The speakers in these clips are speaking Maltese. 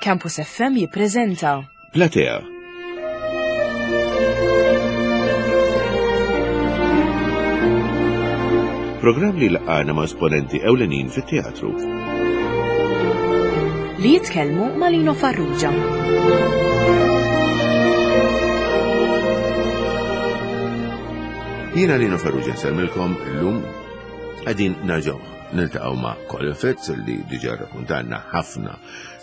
Campus FM jippreżenta Platea. Programm li laqgħana ma' esponenti ewlenin fit-teatru. Li jitkellmu ma' Lino Farrugia. Jiena Lino Farrugia nsellmilkom illum qegħdin nerġgħu niltaqgħu ma' Colin Fitz li diġà rrakkuntanna ħafna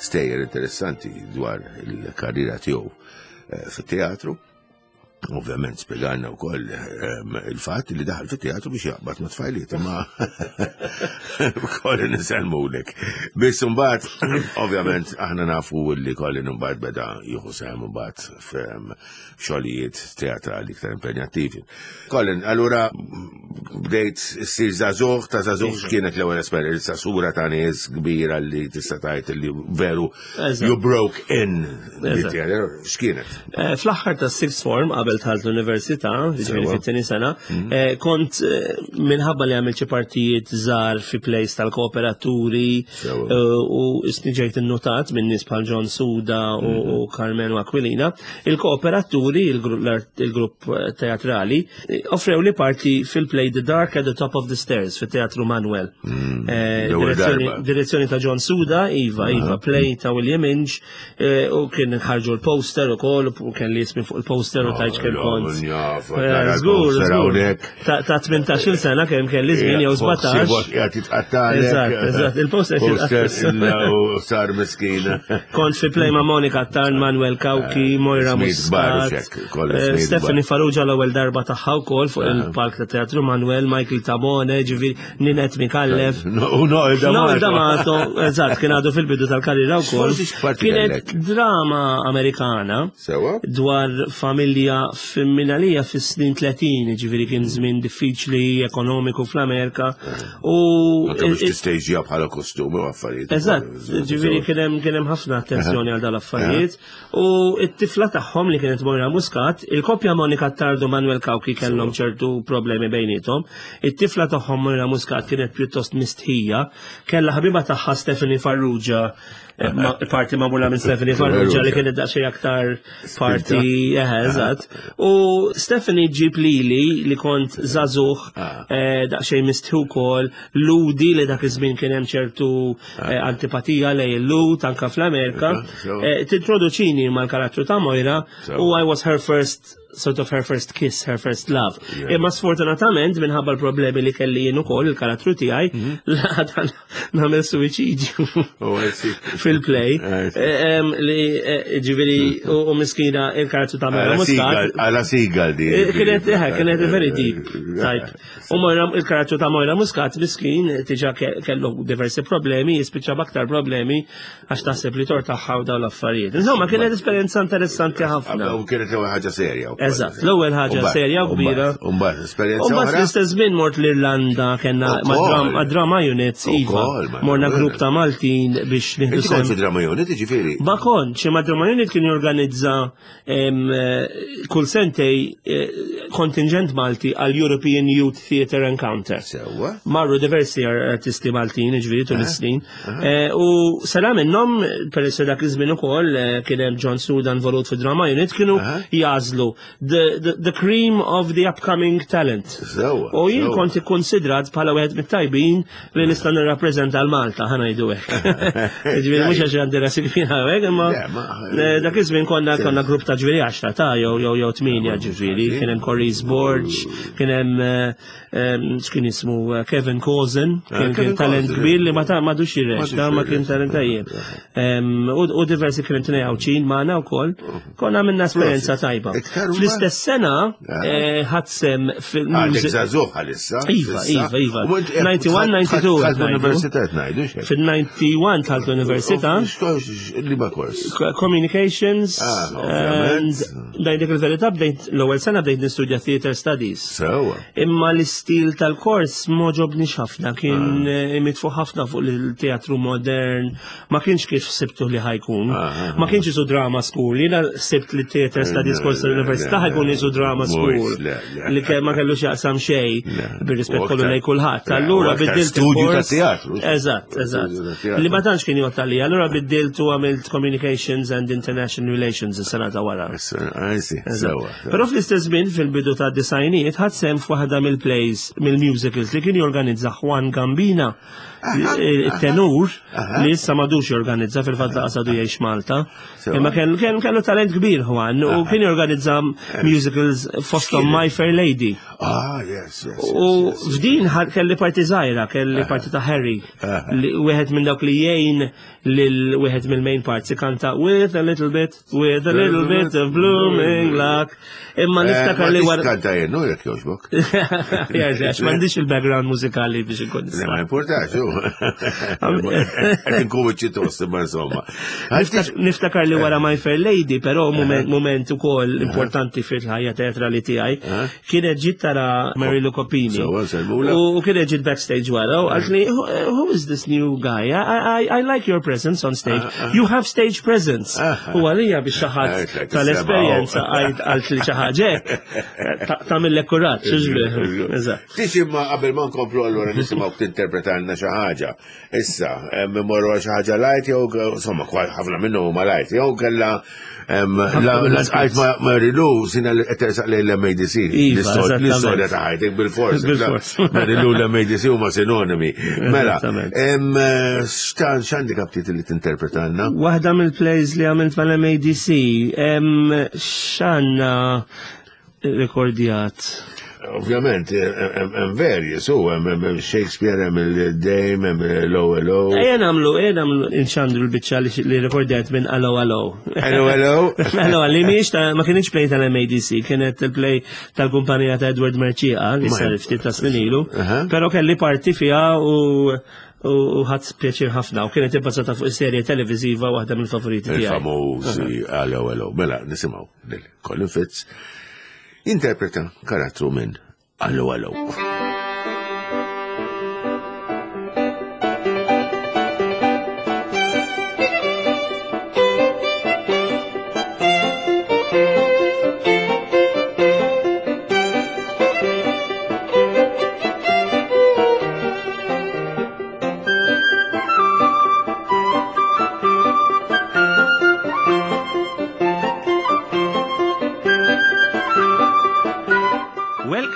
stejjer interessanti dwar il-karriera tiegħu eh, fit-teatru. Ovvjament spjegalna wkoll ehm, il-fatt li daħal fit-teatru biex jaqbad ma' tfajliet, imma Colin insellmulek. Biss imbagħad, ovvjament aħna nafu li Colin imbagħad beda jieħu sehem imbagħad f'xogħlijiet teatrali iktar impenjattivi. Colin, allura bdejt ssir żagħżugħ ta' żagħżugħ iva. x'kienet l-ewwel esperjenza sura ta' nies kbira li tista' tgħid li veru you broke in. X'kienet? Eh, fl-aħħar ta' sixth form qabel tħalt l-università, ġifieri fit-tieni sena, mhm. eh, kont eh, minħabba li għamilt xi partijiet żgħar fi plays tal-kooperaturi u ġejt innotat minn nies bħal John Suda u mhm. Carmelo Aquilina, il-kooperaturi, il-grupp teatrali, Offrew li parti fil-play The Dark at the Top of the Stairs fit-Teatru Manuel. Mm, eh, direzzjoni ta' John Suda, Iva, Iva, play ta' William Inge, eh, u kien ħarġu l-poster u kol, u kien li jismi fuq il-poster u tajċ kien kont. Eh, żgur, żgur. Ta' 18 sena kemm kelli żmien jew 17. Eżatt, eżatt, il-poster U sar miskina. Kont fi play ma' Monika Tarn, Manuel Kawki, Moira Muscat. Eh, Stephanie Farrugia l-ewwel darba tagħha wkoll fuq il-palk ta' Teatru Manuel, Michael Tabone, ġifieri Ninet Mikallef. U Noel Noel D'Amato, eżatt, kien għadu fil-bidu tal-karriera wkoll. Kienet drama Amerikana dwar familja fimminalija fis-snin 30, ġifieri kien żmien diffiċli ekonomiku fl-Amerika. U Anke biex tistejġija bħala kostumi u affarijiet. Eżatt, ġifieri kien hemm ħafna attenzjoni għal dal-affarijiet. U t-tifla tagħhom li kienet Moira Muscat, il-koppja Monika Tardu Manuel Kawki kellhom ċertu problemi bejnietom. It-tifla tagħhom Moira Muscat kienet pjuttost mistħija, kellha ħabiba tagħha Stephanie Farrugia, eh, parti magħmula minn Stephanie Farrugia li kienet daqsxejn aktar parti eh, eżatt. U Stephanie ġib lili li kont żagħżugħ ah. eh, daqsxejn mistħi wkoll, ludi li dak iż-żmien kien hemm ċertu Eh, antipatija lej il-lut anka fl-Amerika. Eh, tintroduċini mal-karattru ta' Moira u I was her first sort of her first kiss, her first love. Imma sfortunatament minħabba l-problemi li kelli jien ukoll il-karattru tiegħi, mhm. l-għada nagħmel suwiċidju oh, fil-play. Eh, li ġifieri u miskina il-karattru ta' Moira Muscat. Għala sigal di. Kienet, kienet very deep type. U Moira, il-karattru ta' Moira Muscat, miskin, tiġa kellu diversi problemi, jispiċċa b'aktar problemi għax taħseb li tort tagħha u dawn l-affarijiet. Insomma, kienet esperjenza interessanti ħafna. U kienet l-ewwel ħaġa serja. Eżatt, l-ewwel ħaġa serja u kbira. U mbagħad esperjenza. U mbagħad fl-istess żmien mort l-Irlanda kellna ma' drama units, iva. Morna grupp ta' Maltin biex nieħdu. Inti kont fi drama unit, ġifieri? Ma kontx, ma drama unit kien jorganizza Eh, kull sentej eh, kontingent Malti għal European Youth Theatre Encounter. Sewa. Marru diversi artisti Maltin, ġviri, tul eh, is-snin. U sena minnhom, peress dak iż-żmien ukoll kien hemm John Sudan volut fi Drama Unit, kienu jażlu the, the, the cream of the upcoming talent. Sewa. U jien kont ikkonsidrat bħala wieħed mit-tajbin li nista' nirrappreżenta l-Malta, ħa ngħidu hekk. Ġifieri mhux għax għandi rasi kbira hekk, imma eh, dak iż-żmien konna konna grupp ta' ġifieri 10 ta' jew jew jew 8 ġifieri, kien hemm Corey's Borg, kien hemm eh, eh, x'kien ismu Kevin Cozen, kien kien talent kbir li ma ta' madux jirrex, ta' ma kien talent tajjeb. U diversi kien tnej Għawdxin magħna wkoll. Konna minna esperjenza tajba. Fl-istess sena eh, ħadsem fil Għadek żagħżugħ għalissa. Iva, iva, iva. 91, 92. Tħalt l-università ngħidu xejn. Fil-91 tħalt l-università. Liba kors. Communications. Ah, Ngħidlek il-verità bdejt l-ewwel sena bdejt nistudja theater studies. Sewa. Imma l-istil tal-kors m'għoġobniex ħafna, kien ah. eh, mitfu ħafna fuq il-teatru modern, ma kienx kif sibtu li ħajkun. Ah, ah, ma kienx isu drama school, jiena sibt li theater studies kors tal-università. Sta ħajkun isu drama school li kemm ma kellux jaqsam xejn bir-rispett kollu lej kulħadd. Allura biddilt studju ta' teatru. Eżatt, eżatt. Li ma tantx kien jgħod għalija, allura biddilt u għamilt Communications and International Relations is-sena ta' wara. Però fl-istess żmien fil-bidu ta' disajnijiet ħadd sehem f'waħda mill-plays, mill-musicals li kien jorganizza Juan Gambina il-tenur li issa madux jorganizza fil-fatt laqas għadu jgħix Malta. Imma kien kellu talent kbir Juan u kien jorganizza musicals fosthom My Fair Lady. Ah, yes, yes. U f'din kelli parti żgħira, kelli parti ta' Harry, wieħed minn dawk li jgħin lil wieħed mill-main parts ikanta with a little bit With a little bit of blooming luck. Imma eh, niftakar li wara. Kanta jien, no jekk jogħġbok. Jerġa' għax m'għandix il-background mużikali biex inkun. Le ma importax, u. Qed inkun ċitos, imma insomma. Niftakar li wara My Fair Lady, però moment ukoll importanti fil-ħajja teatrali tiegħi, kienet ġiet tara Mary Lou Copini. U kienet ġiet backstage wara u qaltli, who is this new guy? I, I, I like your presence on stage. Ah, ah. You have stage presence. Ah, u għalija biex xi ħadd tal-esperjenza għalt li xi ħaġa tagħmillek kuraġġ, Eżatt. Tix imma qabel ma nkomplu allura nisimgħu tinterpretalna xi ħaġa. Issa, morru għal xi ħaġa lajt jew insomma ħafna minnhom huma lajt jew kellha l-għajt ma rilu sina li qed tersaq lejn l-MADC. Iva, L-istorja ta' ħajtek bil-fors. Bil-fors. Marilu l-MADC huma sinonimi. Mela, x'għandi kaptit li tinterpretanna? Waħda mill-plays li għamilt mal-MADC, x'għandna rekordjat. Ovvjament, hemm verji, su, hemm Shakespeare, hemm il-Dame, hemm l-OLO. Ejja nagħmlu, ejja nagħmlu nxandru l-biċċa li rekordjat minn Allo Allo. Allo Allo? Allo, li mhijiex ta' ma kienx play tal-MADC, kienet il-play tal-kumpanija ta' Edward Merċieqa li sar ftit ta' snin ilu, però kelli parti fiha u u ħadd pjaċir ħafna u kienet ibbażata fuq is-serje televiżiva waħda mill-favoriti tiegħi. Il-famużi Allo Allo. Mela, nisimgħu. Colin Fitz jinterpreta karattru minn Allo Allo.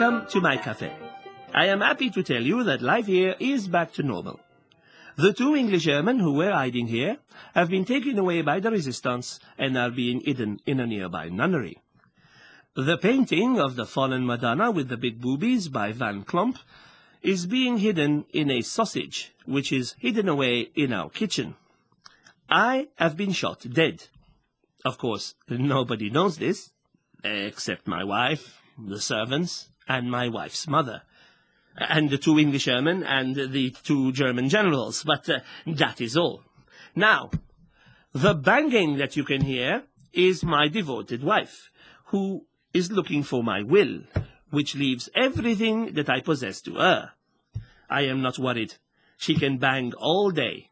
Welcome to my cafe. I am happy to tell you that life here is back to normal. The two English airmen who were hiding here have been taken away by the resistance and are being hidden in a nearby nunnery. The painting of the fallen Madonna with the big boobies by Van Klomp is being hidden in a sausage, which is hidden away in our kitchen. I have been shot dead. Of course, nobody knows this, except my wife, the servants, and my wife's mother and the two English airmen and the two German generals, but uh, that is all. Now, the banging that you can hear is my devoted wife, who is looking for my will, which leaves everything that I possess to her. I am not worried. She can bang all day.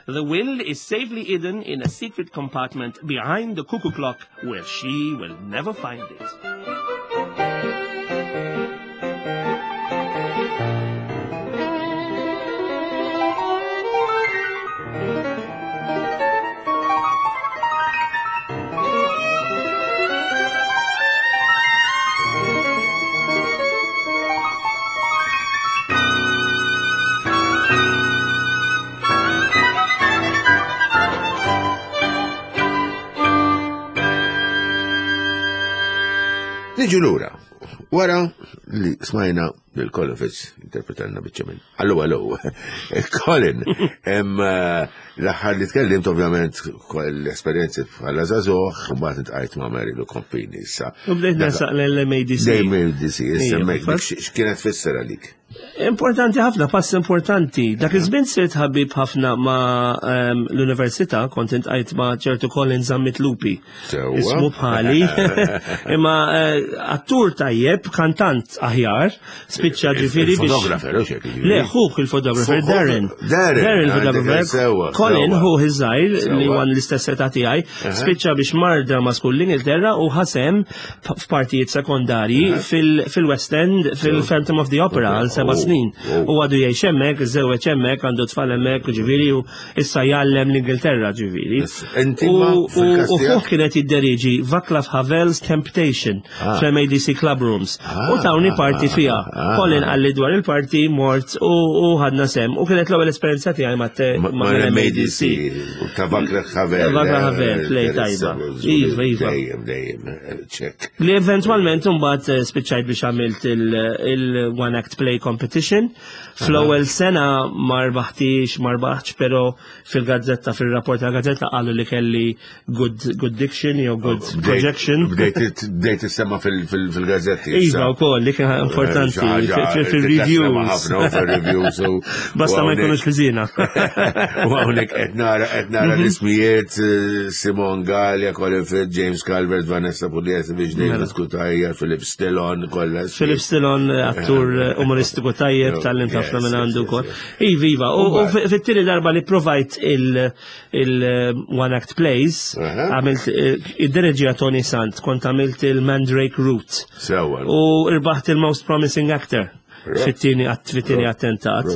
The will is safely hidden in a secret compartment behind the cuckoo clock where she will never find it. Niġu lura. Wara li smajna lil Colin Fitz interpretanna biċċa minn. Allo, allo. Colin, hemm eh, l-aħħar li tkellimt ovvjament l-esperjenzi bħala żagħżugħ, u mbagħad intqajt ma' Mary Lou Compini issa. U bdejt nasaq l-MADC. L-MADC, issa x'kienet tfisser għalik? Importanti ħafna, pass importanti. Dak iż-żmien sirt ħabib ħafna ma' ehm, l-università, kont intqajt ma' ċertu Colin Zammit Lupi. Ismu bħali. Imma eh, attur tajjeb, kantant aħjar, spiċċa ġifieri biex. Fotografer, Le, ħuh il-fotografer, Darren. Darren. Darren il-fotografer. Colin, ħuh iż-żgħir li għan l-istess età tiegħi, spiċċa biex mar drama school l-Ingilterra u ħasem f'partijiet sekondarji fil-West End, fil-Phantom of the Opera għal seba' oh, snin. Oh. U għadu jgħix hemmhekk, żewweġ hemmhekk, għandu tfal hemmhekk, ġifieri u issa jgħallem l-Ingilterra ġifieri. U fuq kienet jidderiġi Vaclav Havel's Temptation ah. fl-MADC Club Rooms. Ah, u tawni parti ah, fiha. Colin qalli dwar il-parti mort u ħadna sem. U kienet l-ewwel esperjenza tiegħi ma' MADC. Ta' Vaclav Havel. Vaclav Havel, play tajba. Iva, iva. Dejjem, dejjem, ċek. Li eventualment mbagħad eh, spiċċajt biex għamilt il-One Act Play Competition. Fl-ewwel sena ma rbaħtix, ma rbaħtx, però fil-gazzetta, fil-rapport tal-gazzetta qalu li kelli good, good diction jew good oh, projection. Bdejt issemma fil-gazzetti. Iva wkoll li kien importanti eh, fil-reviews. Fil-reviews. Basta ma jkunux ħżiena. U hawnhekk qed nara qed nara mhm. l-ismijiet eh, Simon Gallia, Colin Firth, James Calvert, Vanessa Pugliese, biex David mhm. Cutajar, Philip Stillon, kollha. Philip Stillon, eh, attur eh, umoristiku tajjeb, tal-lim ħafna minn għandu wkoll. Iva, iva, u fit-tieni darba li provajt il-One Act Plays, għamilt id-dereġija Tony Sant, kont għamilt il-Mandrake Root. U irbaħt il-Most Promising Actor fit-tieni fit-tieni attentat.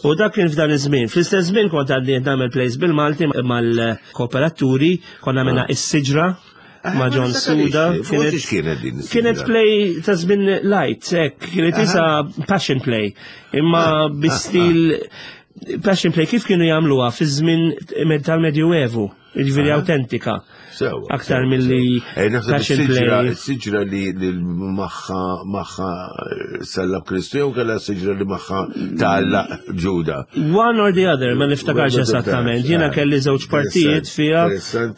U dak kien f'dan iż-żmien. Fl-istess żmien kont għadni nagħmel plays bil-Malti mal-kooperaturi, konna għamilna ah. is-siġra ah, ma' John Suda. Kienet Kienet play ta' żmien light, hekk, kienet isa passion play, imma ah, bi stil passion play kif kienu jagħmluha fi żmien tal-Medjuevu. Jiġifieri autentika. Aktar milli eh, passion play. Siġra li maħħa maħħa eh, sallab Kristu jew kellha siġra li maħħa talla Ġuda. One or the other, ma niftakarx esattament. Jiena eh, kelli żewġ partijiet fiha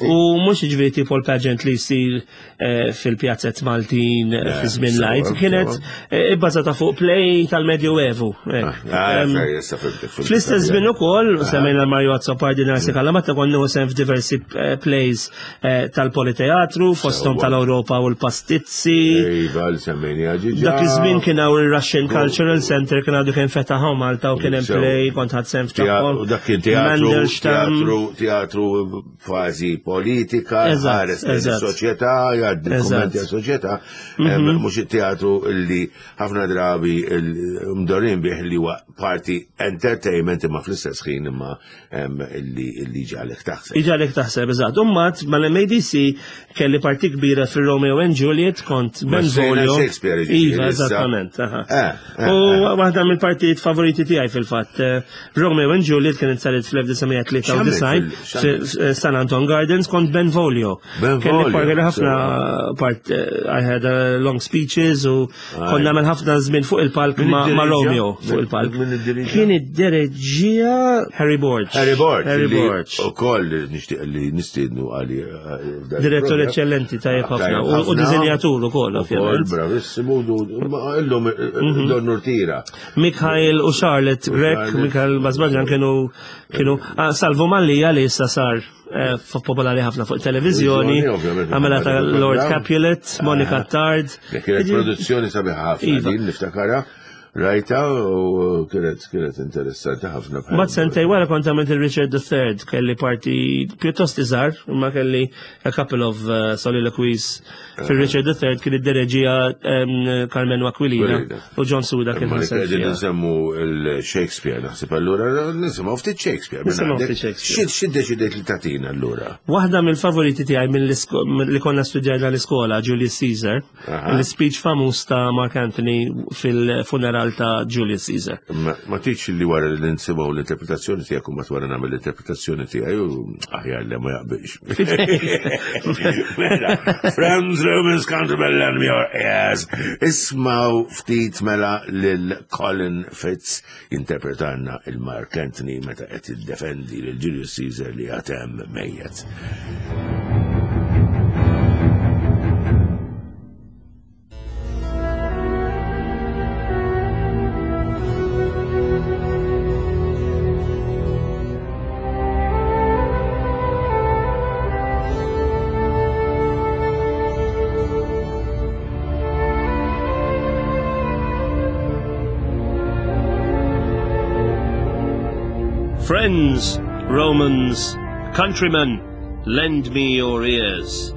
u mhux jiġifieri tipo l-pageant li jsir Eh, fil-pjazzet Maltin eh, fi żmien lajt, kienet eh, ibbażata fuq play tal-Medjuevu. Ah, ah, fl-istess żmien ukoll, semmejna Mario Azzopardi Narsi Kalamatta konna sem f'diversi plays tal-Politeatru, fosthom tal-Ewropa u l-Pastizzi. Iva, Dak iż-żmien kien hawn il-Russian Cultural Center kien għadu kien fetaħ Malta u kien hemm play kont ħadd sem f'tagħhom. Dak kien teatru, teatru fażi politika, ħares lejn is-soċjetà, jgħaddi kummenti għas-soċjetà, mhm. mhux it-teatru li ħafna drabi mdorin bih li huwa parti entertainment imma fl-istess ħin imma li ġalek taħseb. Iġalek taħseb, eżatt. Ummat mal-MADC kelli parti kbira fil-Romeo and Juliet kont Benvolio. Shakespeare. Iva, eżattament. Eh, eh, U eh. waħda mill-partijiet favoriti tiegħi fil-fatt. Romeo and Juliet kienet saret fl-1993 San Anton Gardens kont Benvolio. Kelli parti ħafna part I had a long speeches u konna nagħmel ħafna żmien fuq il-palk ma' Romeo fuq il-palk. Kien id-dereġija Harry Borg. Harry Borg. Harry Borg. U koll nixtieq li nistiednu għali. Eh, Direttur eccellenti tajjeb ħafna u dizinjatur ukoll ovvjament. Bravissimu, illum eh, mhm. Don Tira. Mikhail u Charlotte Grek, Mikhail Bazbaġan kienu kienu ah, Salvu Mallija li issa sar eh, popolari ħafna fuq televizjoni, għamela ta' Lord Capulet, Monica ah. Tard. Kienet produzzjoni sabiħa ħafna iva. din niftakara. Rajta u kienet kienet interessanti ħafna. Mat sentej wara kont għamilt il-Richard III, kelli parti pjuttost iżgħar, imma kelli a couple of uh, soliloquies fil-Richard III kien id-dereġija Carmen Aquilina u John Suda kien ħaseb. Qegħdin nsemmu l-Shakespeare naħseb allura nisimgħu ftit Shakespeare. Nisimgħu ftit Shakespeare. Xi deċidejt li tagħtina allura? Waħda mill-favoriti tiegħi li konna studjajna l-iskola Julius Caesar, l-speech famuż ta' Mark Anthony fil-funeral ta' Julius Caesar. Ma tgħidx li wara li nsimgħu l-interpretazzjoni tiegħek u wara nagħmel l-interpretazzjoni tiegħi u aħjar li ma jaqbilx. Mela, friends, Romans, countrymen, lend me your ears. Ismaw ftit mela lil Colin Fitz interpretanna il-Mark Anthony meta qed jiddefendi lil Julius Caesar li għatem mejjet. Friends, Romans, countrymen, lend me your ears.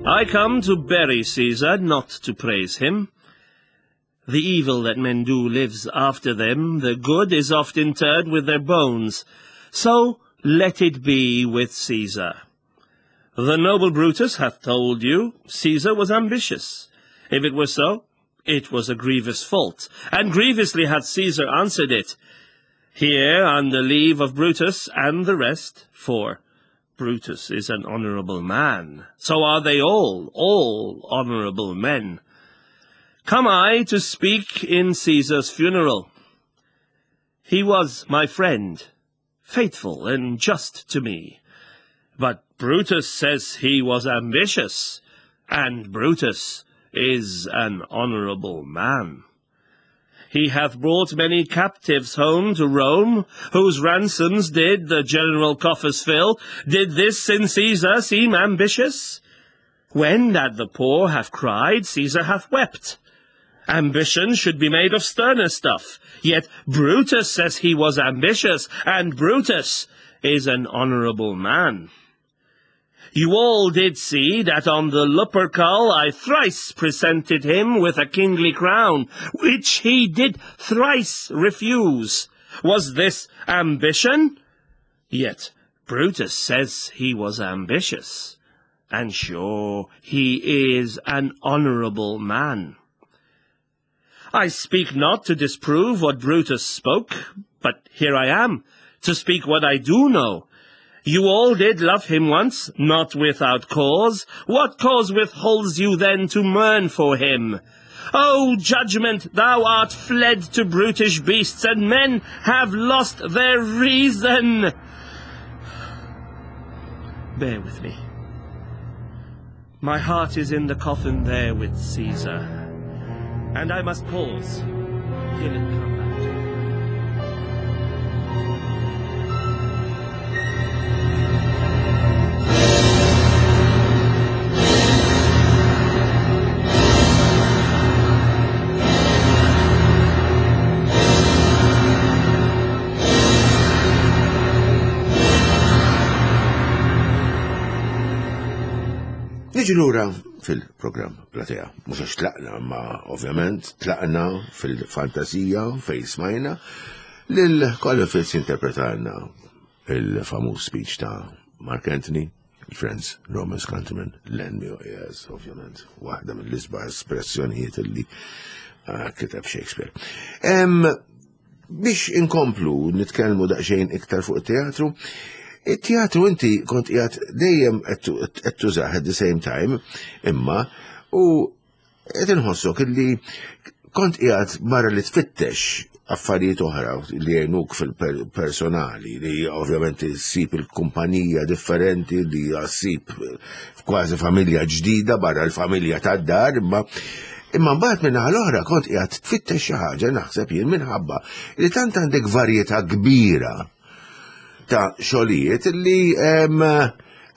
I come to bury Caesar, not to praise him. The evil that men do lives after them, the good is oft interred with their bones. So let it be with Caesar. The noble Brutus hath told you Caesar was ambitious. If it were so, it was a grievous fault, and grievously hath Caesar answered it. Here, on the leave of Brutus and the rest, for Brutus is an honourable man, so are they all, all honourable men. Come I to speak in Caesar's funeral. He was my friend, faithful and just to me. But Brutus says he was ambitious, and Brutus is an honourable man. He hath brought many captives home to Rome, whose ransoms did the general coffers fill. Did this in Caesar seem ambitious? When that the poor have cried, Caesar hath wept. Ambition should be made of sterner stuff. Yet Brutus says he was ambitious, and Brutus is an honourable man. You all did see that on the Lupercal I thrice presented him with a kingly crown, which he did thrice refuse. Was this ambition? Yet Brutus says he was ambitious, and sure he is an honourable man. I speak not to disprove what Brutus spoke, but here I am, to speak what I do know. You all did love him once, not without cause. What cause withholds you then to mourn for him? O judgment, thou art fled to brutish beasts, and men have lost their reason. Bear with me. My heart is in the coffin there with Caesar, and I must pause till it come out. Niġi lura fil-programm Platea. Mhux għax tlaqna, ma ovvjament tlaqna fil-fantasija fejn smajna lil Colin Fitz interpretalna il-famuż speech ta' Mark Anthony, Friends, Romans Countrymen, Lend Me Your Ears, ovvjament, waħda mill-isbaħ espressjonijiet li ah, kiteb Shakespeare. Biex inkomplu nitkellmu daqsxejn iktar fuq it-teatru, it-teatru inti kont qiegħed dejjem qed tużah at the same time, imma u qed inħossok illi kont qiegħed barra li tfittex affarijiet oħra li jgħinuk fil-personali, li ovvjament issib il-kumpanija differenti, li ssib kważi familja ġdida barra l-familja tad-dar, imma imma mbagħad minn naħa l-oħra kont qiegħed tfittex xi ħaġa naħseb jien minħabba li tant għandek varjetà kbira ta' xogħlijiet li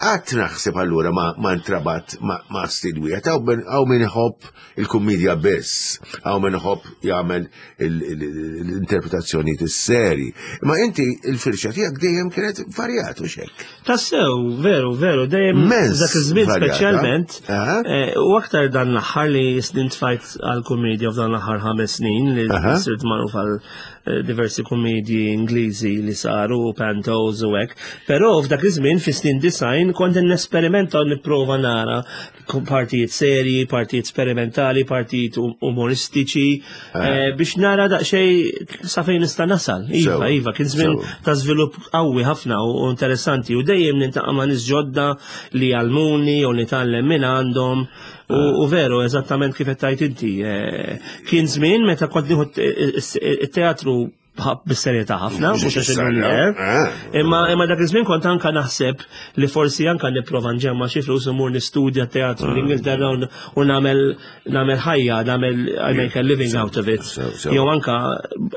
Qatt naħseb allura ma, ma ntrabat ma, ma stil wieħed, hawn min iħobb il-kummedja biss, hawn min iħobb jagħmel l-interpretazzjonijiet is-seri. Ma inti il-firxa tiegħek dejjem kienet varjat u xek. Tassew, veru, veru, dejjem dak iż-żmien speċjalment. Eh, u aktar dan l-aħħar li snin tfajt għal-kummedja f'dan l-aħħar ħames snin li sirt magħruf għal Eh, diversi kummedji Ingliżi li saru, pantos u hekk. Però f'dak iż-żmien fis-snin design kont nesperimenta u nipprova nara partijiet serji, partijiet sperimentali, partijiet um-, umoristiċi eh. Eh, biex nara daqsxejn sa fejn nista' nasal. Iva, iva, kien żmien ta' żvilupp qawwi ħafna u interessanti u dejjem nintaqa' ma' nies ġodda li jgħallmuni u nitgħallem minn għandhom. U veru, eżattament kif qed tgħid inti. Eh, kien żmien meta kont nieħu it-teatru bis-serjetà ħafna, mhux għax eh. Imma imma dak iż-żmien kont anka naħseb li forsi anka nipprova nġemma xi flus imur nistudja teatru ah. l-Ingilterra u nagħmel nagħmel ħajja, nagħmel I make a living out of it. Jew anka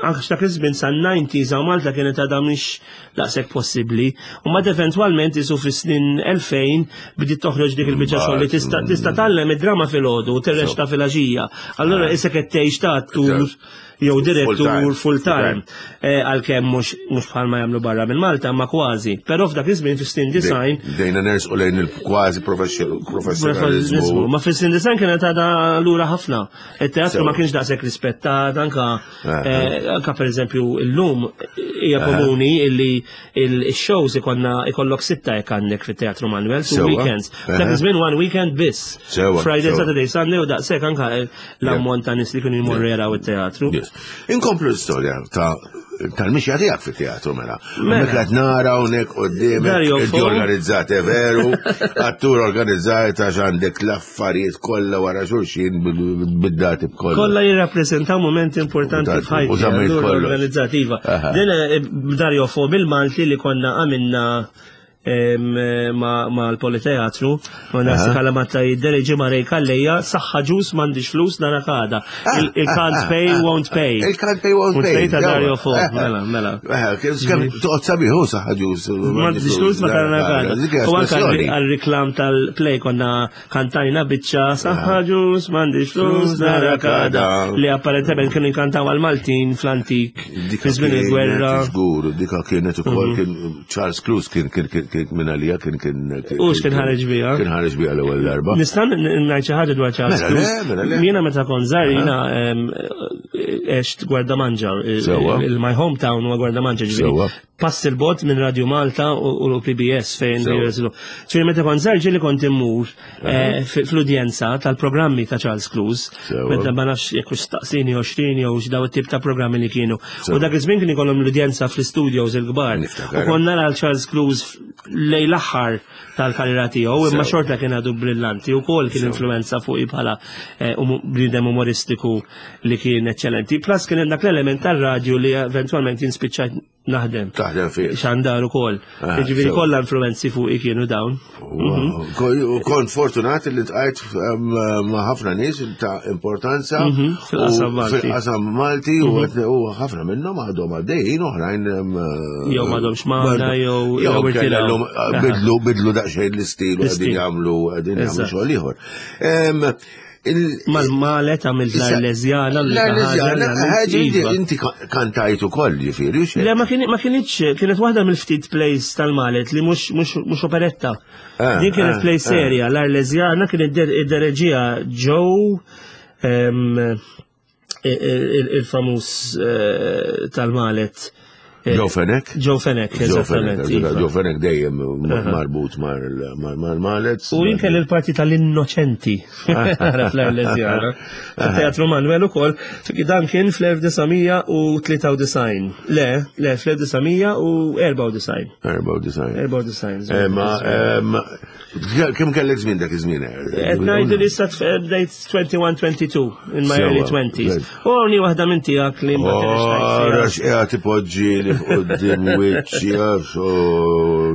anka dak iż-żmien san-90s hawn Malta kienet għadha mhix daqshekk possibbli. U mbagħad eventwalment isu fis-snin 2000 bdiet toħroġ dik il-biċċa xogħol li tista' tista' tgħallem id-drama filgħodu u tirrexta filgħaxija. Allura ah. isek qed tgħix ta' attur jew direttur full time. Eh, għalkemm mhux bħalma jagħmlu barra minn Malta, ma kważi. Però f'dak iż-żmien fis-snin design. Dejna nersqu lejn il-kważi professjonaliżmu. Ma fis-snin design kienet għadha lura ħafna. Il-teatru ma kienx daqshekk rispettat, anka eh, anka pereżempju llum hija komuni illi il-shows ikonna ikollok sitta jekk għandek fit-Teatru Manuel, two weekends. Dak iż-żmien one weekend biss. Friday, Saturday, Sunday u daqshekk anka l-ammont ta' nies li kienu jmorru jaraw it-teatru. Inkomplu l-istorja ta' tal-mixja tiegħek fit-teatru mela. mela. Mela qed nara hawnhekk quddiem inti organizzat eh, veru, attur organizzat għax għandek l-affarijiet kollha wara xulxin bid-dati b'kollha. Kollha jirrappreżentaw moment importanti f'ħajti. Organizzativa. Din eh, Dario Fo bil-Malti li konna għamilna ma l-Politeatru, ma nasi kalamatta jiddereġi ma rej kalleja, saħħa ġus m'għandix flus nara kada. Ah, Il-can't ah, pay, ah, won't pay. Il-can't pay, won't pay. ta' Dario Fo, mela, mela. Toqgħod sabiħu saħħa ġus. M'għandix flus ma tara kada. U anke għal-reklam tal-play konna kantajna biċċa saħħa ġus m'għandix flus nara kada. Li apparentement kienu jkantaw għal-Maltin fl-antik. Fi żmien il-gwerra. Żgur, dika kienet ukoll mhm. kien Charles Cruz kien kien kien minn għalija kien kien. U x'kien ħareġ biha? Kien ħareġ biha l-ewwel darba. Nista' ngħid xi ħaġa dwar Charles mela Cruz. Mela jiena meta kont żgħar jiena għext Gwardamanġa. Il-my hometown huwa Gwardamanġa ġifieri. Pass il-bot minn Radio Malta u l-PBS fejn jirżlu. Ġifieri meta kont żgħar ġieli kont immur eh, fl-udjenza tal-programmi ta' Charles Cruz, meta ma nafx jekk hux staqsini 20 jew x'daw it-tip ta' programmi li kienu. U dak iż-żmien kien ikollhom l-udjenza fl-studios il-kbar. U konna nara Charles Cruz lej l-aħħar tal-karriera tiegħu, imma xorta kien għadu brillanti u kol kien influenza fuqi bħala eh, um, bniedem umoristiku li kien eċċellenti. Plus kien hemm dak l-element tar-radju li eventwalment jinspiċċa naħdem. Taħdem fih. Xandar ukoll. Ah, Jiġifieri kollha influenzi fuqi kienu dawn. Mhm. Kont fortunat li tqajt ma' ħafna nies ta' importanza mhm, fil-qasam Malti. Fil-qasam Malti u mhm. ħafna minnhom għadhom għaddejjin oħrajn jew m'għadhomx magħna jew jew bidlu bidlu daqsxejn l-istil u qegħdin jagħmlu qegħdin jagħmlu xogħol ieħor. Mal-malet għamilt l-Arleżjana. L-Arleżjana, iva. inti kantajt ukoll ġifieri. Le, ma kienx, kienet waħda mill-ftit plays tal-malet li mhux operetta. Ah, Din kienet ah, play ah. serja, l-Arleżjana kienet id-dereġija Joe il-famuż eh, tal-malet. Eh, Joe Fenech? Joe Fenech, eżattament. Iva. Joe Fenech dejjem marbut mal-malet. U jien kelli l-parti tal-innoċenti. Għara fl-Arleżjana. Teatru Manuel ukoll, dan kien fl-1993. Le, le, fl-1994. 94. 94. Eh, ma, kemm kellek żmien dak iż-żmien? Qed ngħidu li sa bdejt 21-22, in my early 20s. U għawni wahda minn tijak li ma Għarax qiegħed ipoġġi li f'qudiem wiċċi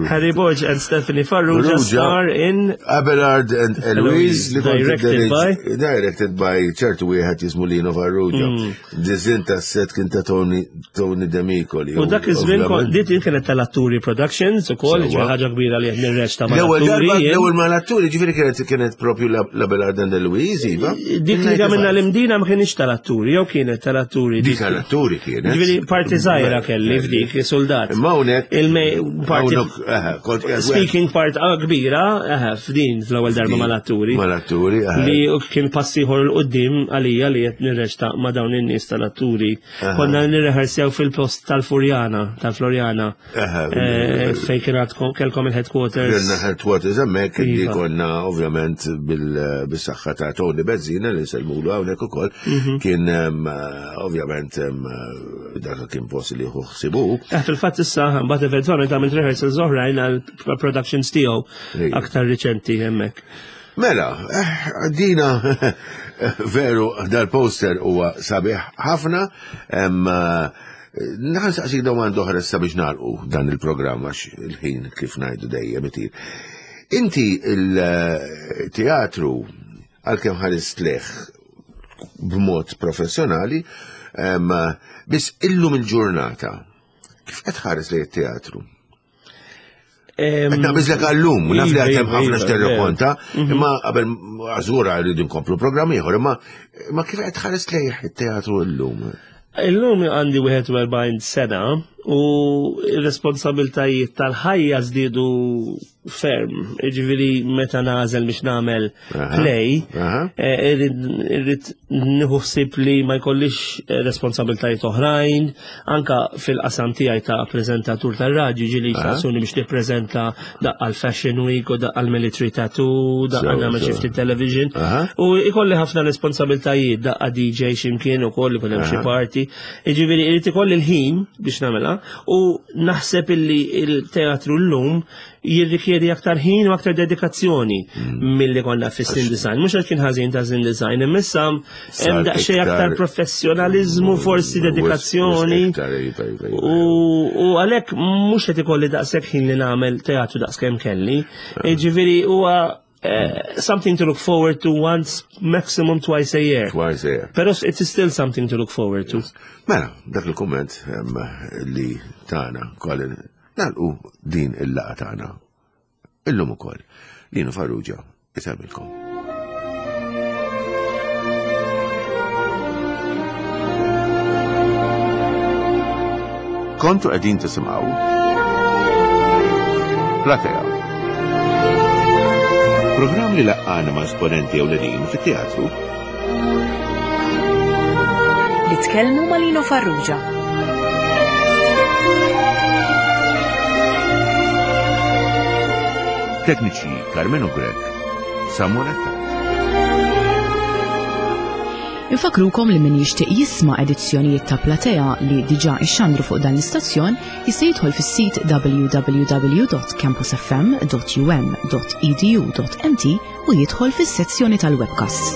Harry Borg and Stephanie Farrugia star in Abelard and Eloise li directed by directed by ċertu wieħed jismu Lino Farrugia. Mm. Dizin ta' set kien ta' Tony Tony Demicoli. U dak iż-żmien dit kienet tal-Atturi Productions ukoll, ġifieri ħaġa kbira li qed nirreċta ma' L-ewwel l-ewwel ma' l-atturi ġifieri kienet kienet propju la Belarda de Luiz, iva. Dik li għamilna l-imdina ma kienx tal-atturi, jew kienet tal-atturi. Dik tal-atturi kienet. Ġifieri parti żgħira kelli f'dik soldat. Imma hawnhekk. Parti speaking part ah, kbira, f'din fl-ewwel darba mal-atturi. Mal-atturi, Li kien passi ieħor l-qudiem għalija li qed nirreċta ma' dawn in-nies tal-atturi. Konna nirrehersjaw fil-post tal-Furjana, tal-Florjana, eh, fejn kien għadkom kelkom il-headquarters. Kellna headquarters hemmhekk li iva. konna ovvjament bil-saħħa ta' Tony Bezzina li nsellmulu hawnhekk ukoll mhm. kien ovvjament dak kien post li jieħu ħsibu. Eh, fil-fatt issa mbagħad eventwalment għamilt rehearsals oħrajn għal productions tiegħu aktar riċenti hemmhekk. Mela, eh, dina veru dal-poster huwa sabiħ ħafna. Naħan saqsik domanda oħra issa biex nagħlqu dan il-programm għax il-ħin kif ngħidu dejjem itir. Inti il-teatru għalkemm ħarist leħ b'mod professjonali, biss illum il-ġurnata kif qed ħares lejn it-teatru? Qed biżlek għallum, naf li għatem ħafna iva, x'terrakonta, mhm. imma qabel għażura rridu nkomplu programm ieħor, imma ma kif qed tħares lejh it-teatru llum? Illum għandi 41 sena u r-responsabiltajiet tal-ħajja żdiedu ferm. Jiġifieri meta nagħżel biex nagħmel play, eh, irrid nieħu ħsieb li ma jkollix eh, responsabiltajiet oħrajn, anka fil-qasam tiegħi ta' preżentatur tar-radju ġieli jsaqsuni biex nippreżenta daqqa l-Fashion Week u daqqa l-Military Tattoo, daqqa nagħmel xi ftit television. U ikolli ħafna responsabiltajiet daqqa DJ x'imkien ukoll ikun hemm xi party. Jiġifieri irid ikolli l-ħin biex nagħmilha u naħseb illi il-teatru llum jirrikjedi aktar ħin u aktar dedikazzjoni mm. milli konna fis-sin design. Mhux għax kien ħażin ta' sin design, imma issa hemm daqsxejn aktar professjonaliżmu, mm, forsi dedikazzjoni. Iva, iva, iva, u għalhekk mhux qed ikolli daqshekk ħin li nagħmel teatru daqskemm kelli. Ah. Ġifieri huwa eh, something to look forward to once, maximum twice a year. Twice a year. Pero it is still something to look forward to. Mela, dak il-komment li tana, Colin, nalqu din il-laqa tagħna. Illum ukoll. Lino Farrugia, isemmilkom. Kontu qegħdin tisimgħu Platea. Programm li laqqana ma' esponenti ewlenin fit-teatru Li tkellmu ma' Lino Farrugia. Tekniċi Carmenu Grech, Samuel Attard. Infakrukom li min jixtieq jisma' edizzjonijiet ta' Platea li diġà ixxandru fuq dan l-istazzjon jista' jidħol fis-sit www.campusfm.um.edu.mt u jidħol fis-sezzjoni tal-webcasts.